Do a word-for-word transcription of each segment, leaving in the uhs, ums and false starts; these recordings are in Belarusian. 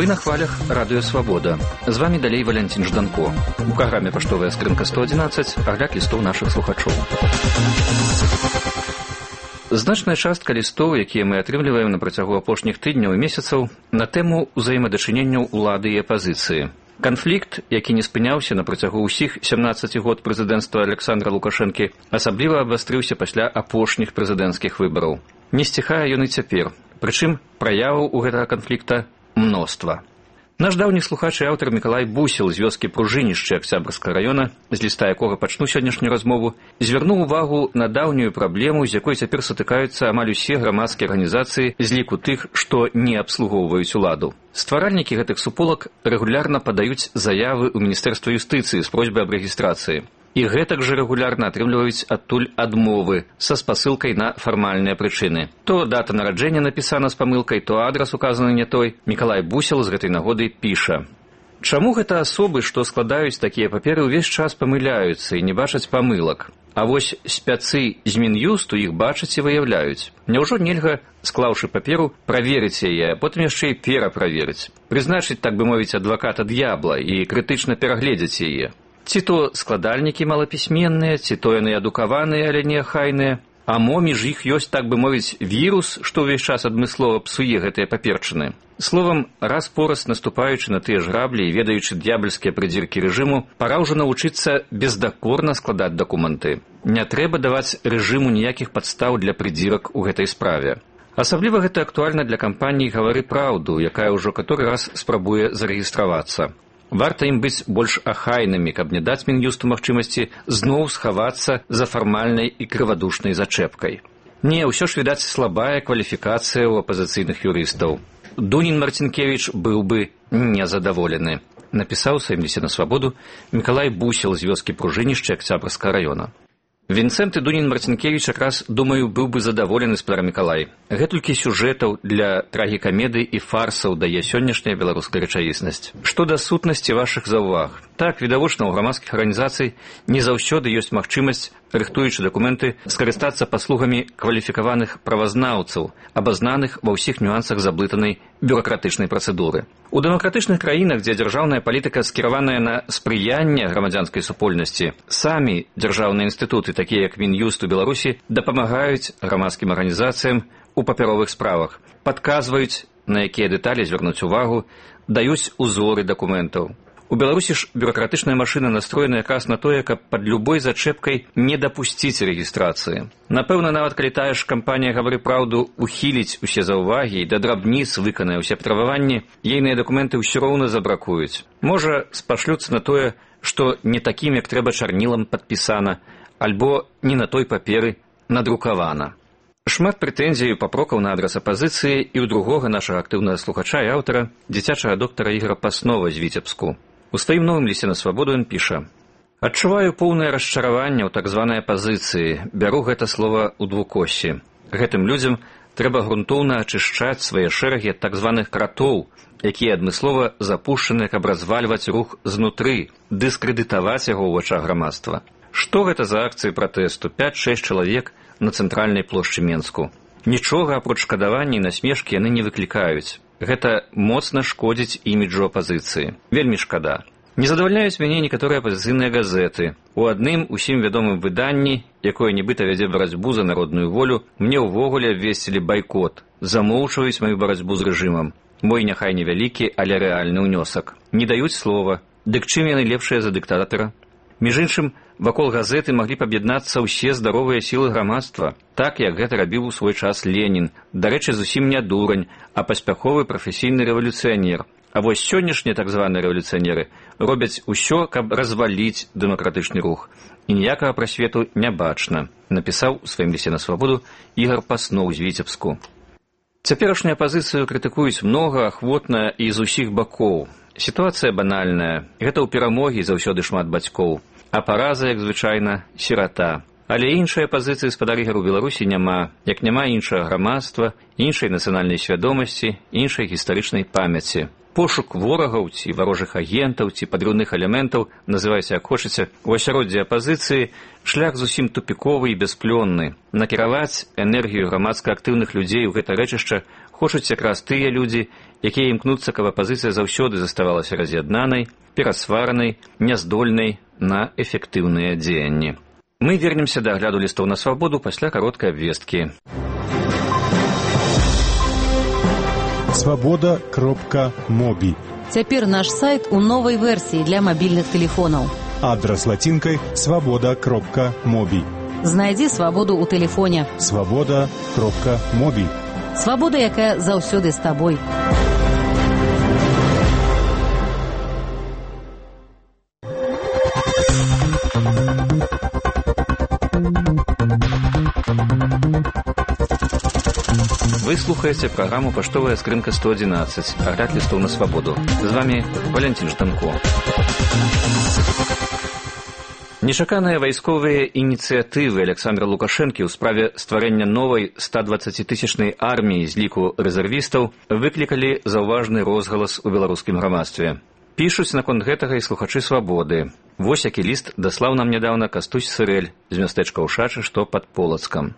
на хвалях Радыё Свабода. З вами далей Валянцін Жданко. У праграме «Паштовая скрынка сто адзінаццаць» агляд лістоў нашых слухачоў. Значная частка лістоў, якія мы атрымліваем на працягу апошніх тыдняў і месяцаў, на тэму ўзаемадачыненняў улады і апазіцыі. Канфлікт, які не спыняўся на працягу ўсіх сямнаццаці год прэзідэнцтва Александра Лукашэнкі, асабліва абвастрыўся пасля апошніх прэзідэнцкіх выбараў. Не сціхае ён і цяпер, прычым праяваў у гэтага канфлікта мноства. Наш даўні слухач і аўтар Мікалай Бусел з вёскі Пружынішча Акцябрскага раёна, з ліста якога пачну сённяшнюю размову, звярнуў увагу на даўнюю праблему, з якой цяпер сутыкаюцца амаль усе грамадскія арганізацыі з ліку тых, што не абслугоўваюць уладу. Стваральнікі гэтых суполак рэгулярна падаюць заявы ў Міністэрства юстыцыі з просьбай аб рэгістрацыі. І гэтак жа рэгулярна атрымліваюць адтуль адмовы са спасылкай на фармальныя прычыны. То дата нараджэння напісана з памылкай, то адрас указаны не той. Мікалай Бусел з гэтай нагоды піша: «Чаму гэта асобы, што складаюць такія паперы, увесь час памыляюцца і не бачаць памылак? А вось спяцы з Мін'юсту іх бачаць і выяўляюць. Няўжо нельга, склаўшы паперу, праверыць яе, а потым яшчэ і пераправерыць, прызначыць, так бы мовіць, адваката д'ябла і крытычна перагледзець яе? Ці то складальнікі малапісьменныя, ці то яны адукаваныя, але неахайныя, а мо між іх ёсць, так бы мовіць, вірус, што ўвесь час адмыслова псуе гэтыя паперчыны. Словам, раз-пораз наступаючы на тыя ж граблі і ведаючы д'ябальскія прыдзіркі рэжыму, пара ўжо навучыцца бездакорна складаць дакументы. Не трэба даваць рэжыму ніякіх падстаў для прыдзірак у гэтай справе. Асабліва гэта актуальна для кампаніі «Гавары праўду», якая ўжо каторы раз спрабуе зарэгістравацца. Варта ім быць больш ахайнымі, каб не даць Мін'юсту магчымасці зноў схавацца за фармальнай і крывадушнай зачэпкай. Не, ўсё ж, відаць, слабая кваліфікацыя ў апазіцыйных юрыстаў. Дунін Марцінкевіч быў бы незадаволены, напісаў у сваім лісце на Свабоду Мікалай Бусел з вёскі Пружынішча Акцябрскага раёна. Вінцэнт і Дунін Марцінкевіч якраз, думаю, быў бы задаволены, спадар Мікалай. Гэтулькі сюжэтаў для трагікамедый і фарсаў дае сённяшняя беларуская рэчаіснасць. Што да сутнасці вашых заўваг? Так, відавочна, у грамадскіх арганізацый не заўсёды ёсць магчымасць, рыхтуючы дакументы, скарыстацца паслугамі кваліфікаваных правазнаўцаў, абазнаных ва ўсіх нюансах заблытанай бюракратычнай працэдуры. У дэмакратычных краінах, дзе дзяржаўная палітыка скіраваная на спрыянне грамадзянскай супольнасці, самі дзяржаўныя інстытуты, такія як Мін'юст у Беларусі, дапамагаюць грамадскім арганізацыям у папяровых справах, падказваюць, на якія дэталі звярнуць увагу, даюць узоры дакументаў. У Беларусі ж бюракратычная машына настроена якраз на тое, каб пад любой зачэпкай не дапусціць рэгістрацыі. Напэўна, нават калі тая ж кампанія «Гавары праўду» ухіліць усе заўвагі і да драбніц выканае ўсе патрабаванні, ейныя дакументы ўсё роўна забракуюць. Можа, спашлюцца на тое, што не такім, як трэба чарнілам падпісана, альбо не на той паперы надрукавана. Шмат прэтэнзій і папрокаў на адрас апазіцыі і ў другога нашага актыўнага слухача і аўтара, дзіцячага доктара Ігора Паснова з Віцебску. У сваім новым лісце на Свабоду ён піша: «Адчуваю поўнае расчараванне ў так званай апазіцыі, бяру гэта слова ў двукоссі. Гэтым людзям трэба грунтоўна ачышчаць свае шэрагі ад так званых кратоў, якія адмыслова запушчаны, каб развальваць рух знутры, дыскрэдытаваць яго ў вачах грамадства. Што гэта за акцыі пратэсту? пяць-шэсць чалавек на цэнтральнай плошчы Менску. Нічога апроч шкадавання і насмешкі яны не выклікаюць. Гэта моцна шкодзіць іміджу апазіцыі. Вельмі шкада. Не задавальняюць мяне некаторыя апазіцыйныя газеты. У адным усім вядомым выданні, якое нібыта вядзе барацьбу за народную волю, мне ўвогуле абвесцілі байкот, замоўчваюць маю барацьбу з рэжымам. Мой няхай невялікі, але рэальны ўнёсак. Не даюць слова. Дык чым яны лепшыя за дыктатара? Між іншым, вакол газеты маглі б аб'яднацца ўсе здаровыя сілы грамадства, так, як гэта рабіў у свой час Ленін, дарэчы, зусім не дурань, а паспяховы прафесійны рэвалюцыянер. А вось сённяшнія так званыя рэвалюцыянеры робяць усё, каб разваліць дэмакратычны рух. І ніякага прасвету не бачна, напісаў у сваім лісце на Свабоду Ігар Пасноў з Віцебску. Цяперашнюю апазіцыю крытыкуюць многа, ахвотна і з усіх бакоў. Сітуацыя банальная. Гэта ў перамогі заўсёды шмат бацькоў. А параза, як звычайна, сірата. Але іншай апазіцыі, спадар Ігар, у Беларусі няма, як няма іншага грамадства, іншай нацыянальнай свядомасці, іншай гістарычнай памяці. Пошук ворагаў ці варожых агентаў ці падрыўных элементаў, называйце як хочаце, у асяроддзі апазіцыі шлях зусім тупіковы і бясплённы. Накіраваць энергію грамадска актыўных людзей у гэта рэчышча хочуць якраз тыя людзі, якія імкнуцца, каб апазіцыя заўсёды заставалася раз'яднанай, перасваранай, няздольнай на эфектыўныя дзеянні. Мы вернемся да агляду лістоў на свабоду пасля кароткай абвесткі. свабода кропка моби. Цяпер наш сайт у новай версіі для мабільных тэлефонаў. Адрас лацінкай свабода кропка моби. Знайдзі свабоду ў тэлефоне. свабода кропка моби. Свабода, якая заўсёды з табой. Вы слухаеце праграму «Паштовая скрынка сто адзінаццаць», агляд лістоў на свабоду. З вами Валентин Жданко. Нечаканыя вайсковыя ініцыятывы Александра Лукашэнкі ў справе стварэння новай стадваццацітысячнай арміі з ліку рэзервістаў выклікалі заўважны розгалас у беларускім грамадстве. Пішуць наконт гэтага і слухачы свабоды. Вось які ліст даслаў нам нядаўна Кастусь Сырэль з мястэчка Ушачы, што пад Полацкам.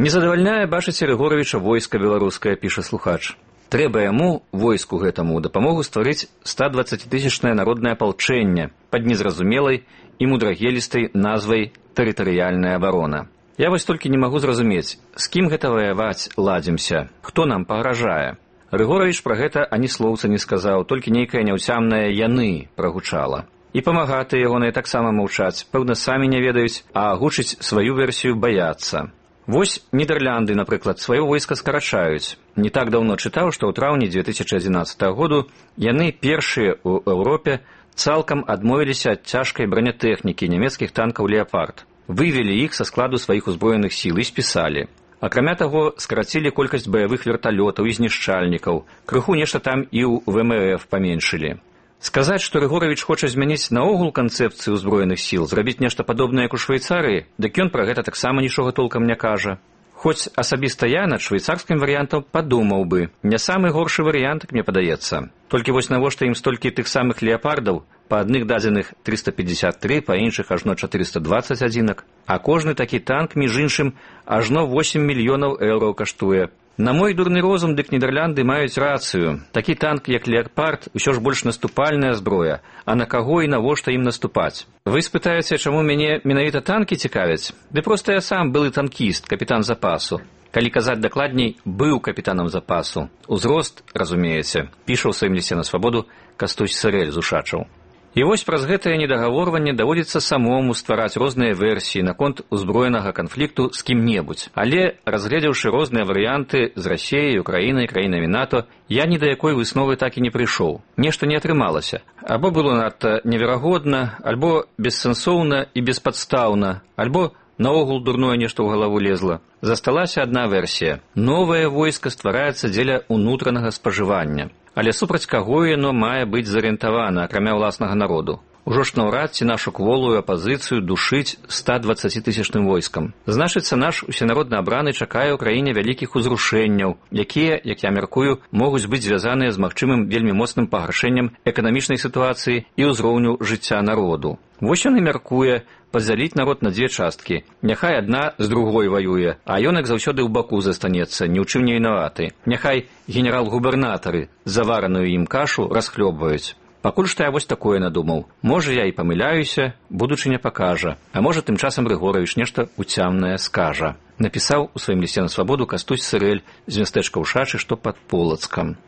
«Не задавальняе, бачыце, Рыгоравіча войска беларускае», піша слухач. «Трэба яму, войску гэтаму, дапамогу стварыць стадваццацітысячнае народнае апалчэнне пад незразумелай і мудрагелістай назвай «Тэрытарыяльная абарона». Я вось толькі не магу зразумець, з кім гэта ваяваць ладзімся, хто нам пагражае». Рыгоравіч пра гэта ані слоўца не сказаў, толькі нейкае няўцямнае «яны» прагучала. І памагатыя ягоныя таксама маўчаць, пэўна, самі не ведаюць, а агучыць сваю версію баяцца. Вось Нідерлянды, напрыклад, сваё войска скарачаюць. Не так даўно чытаў, што ў траўні дзве тысячы адзінаццатага году яны першыя ў Еўропе цалкам адмовіліся ад цяжкай бранятэхнікі нямецкіх танкаў «Леапард». Вывелі іх са складу сваіх узброеных сіл і спісалі. Акрамя таго, скарацілі колькасць баявых верталётаў і знішчальнікаў, крыху нешта там і ў вэ эм эф паменшылі. Сказаць, што Рыгоравіч хоча змяніць наогул канцэпцыю ўзброеных сіл, зрабіць нешта падобнае, як у Швейцарыі, дык ён пра гэта таксама нічога толкам не кажа. Хоць асабіста я над швейцарскім варыянтам падумаў бы, не самы горшы варыянт, мне падаецца. Толькі вось навошта ім столькі тых самых леапардаў, па адных дадзеных трыста пятьдесят три, па іншых ажно чатырыста дваццаць адзінак, а кожны такі танк, між іншым, ажно восемь мільёнаў еўраў каштуе. На мой дурны розум, дык Нідерлянды маюць рацыю. Такі танк, як «Леапард», усё ж больш наступальная зброя, а на каго і навошта ім наступаць? Вы спытаеце, чаму мяне менавіта танкі цікавяць? Ды проста я сам былы танкіст, капітан запасу. Калі казаць дакладней, быў капітанам запасу. Узрост, разумееце, піша ў сваім лісце на свабоду Кастусь Сырэль з Ушачаў. І вось праз гэтае недагаворванне даводзіцца самому ствараць розныя версіі наконт узброенага канфлікту з кім-небудзь. Але, разгледзеўшы розныя варыянты з Расіяй, Украінай, краінамі НАТО, я ні да якой высновы так і не прыйшоў. Нешта не атрымалася. Або было надта неверагодна, альбо бессэнсоўна і беспадстаўна, альбо наогул дурное нешта ў галаву лезла. Засталася адна версія. Новае войска ствараецца дзеля ўнутранага спажывання. Але супраць каго яно мае быць зарыентавана, акрамя ўласнага народу? Ужо ж наўрад ці нашу кволую апазіцыю душыць стадваццацітысячным войскам. Значыцца, наш усенародна абраны чакае ў краіне вялікіх узрушэнняў, якія, як я мяркую, могуць быць звязаныя з магчымым вельмі моцным пагаршэннем эканамічнай сітуацыі і ўзроўню жыцця народу. Вось ён і мяркуе падзяліць народ на дзве часткі. Няхай адна з другой ваюе, а ён, як заўсёды, ў баку застанецца, ні ў чым не вінаваты. Няхай генерал-губернатары завараную ім кашу расхлёбваюць. Пакуль што я вось такое надумаў. Можа, я і памыляюся, будучыня пакажа. А можа, тым часам Рыгоравіч нешта уцямнае скажа. Напісаў у сваім лісце на свабоду Кастусь Сырэль з мястэчка Ушачы, што пад Полацкам.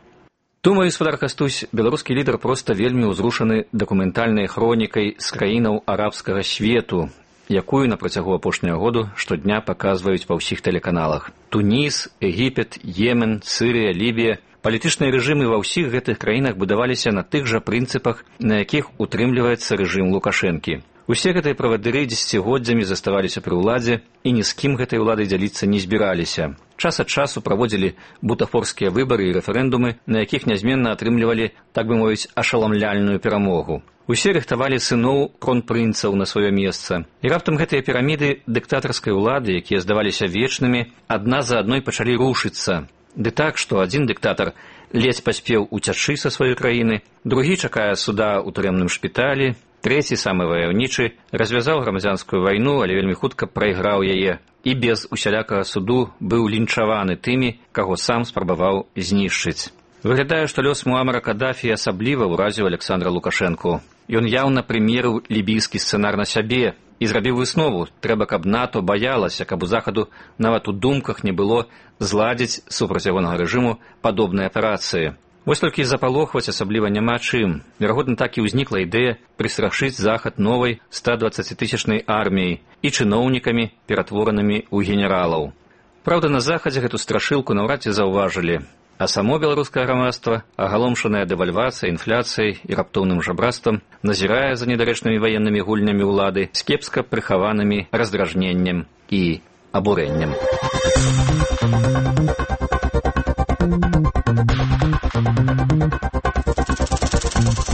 Думаю, спадар Кастусь, беларускі лідар проста вельмі ўзрушаны дакументальнай хронікай з краінаў арабскага свету, якую на працягу апошняга году штодня паказваюць па ўсіх тэлеканалах. Туніс, Егіпет, Йемен, Сырыя, Лібія. Палітычныя рэжымы ва ўсіх гэтых краінах будаваліся на тых жа прынцыпах, на якіх утрымліваецца рэжым Лукашэнкі. Усе гэтыя правадыры дзесяцігоддзямі заставаліся пры ўладзе і ні з кім гэтай уладай дзяліцца не збіраліся. Час ад часу праводзілі бутафорскія выбары і рэферэндумы, на якіх нязменна атрымлівалі, так бы мовіць, ашаламляльную перамогу. Усе рыхтавалі сыноў кронпрынцаў на сваё месца. І раптам гэтыя піраміды дыктатарскай улады, якія здаваліся вечнымі, адна за адной пачалі рушыцца. Ды так, што адзін дыктатар ледзь паспеў уцячы са сваёй краіны, другі чакае суда ў турэмным шпіталі, трэці, самы ваяўнічы, развязаў грамадзянскую вайну, але вельмі хутка прайграў яе і без усялякага суду быў лінчаваны тымі, каго сам спрабаваў знішчыць. Выглядае, што лёс Муамара Каддафі асабліва ўразіў Александра Лукашэнку. Ён яўна прымерыў лібійскі сцэнар на сябе і зрабіў выснову: трэба, каб НАТО баялася, каб у захаду нават у думках не было зладзіць супраць ягонага рэжыму падобныя аперацыі. Вось толькі запалохваць асабліва няма чым. Верагодна, так і ўзнікла ідэя прыстрашыць захад новай стадваццацітысячнай арміяй і чыноўнікамі, ператворанымі ў генералаў. Праўда, на захадзе гэту страшылку наўрад ці заўважылі. А само беларускае грамадства, агаломшанае дэвальвацыяй, інфляцыяй і раптоўным жабрацтвам, назірае за недарэчнымі ваеннымі гульнямі ўлады з кепска прыхаванымі раздражненнем і абурэннем.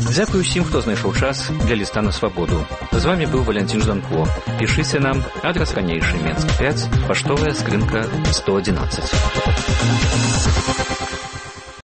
Дзякую ўсім, хто знайшоў час для ліста на свабоду. З вамі быў Валянцін Жданко. Пішыце нам, адрас ранейшы, Менск пяць, паштовая скрынка сто адзінаццаць.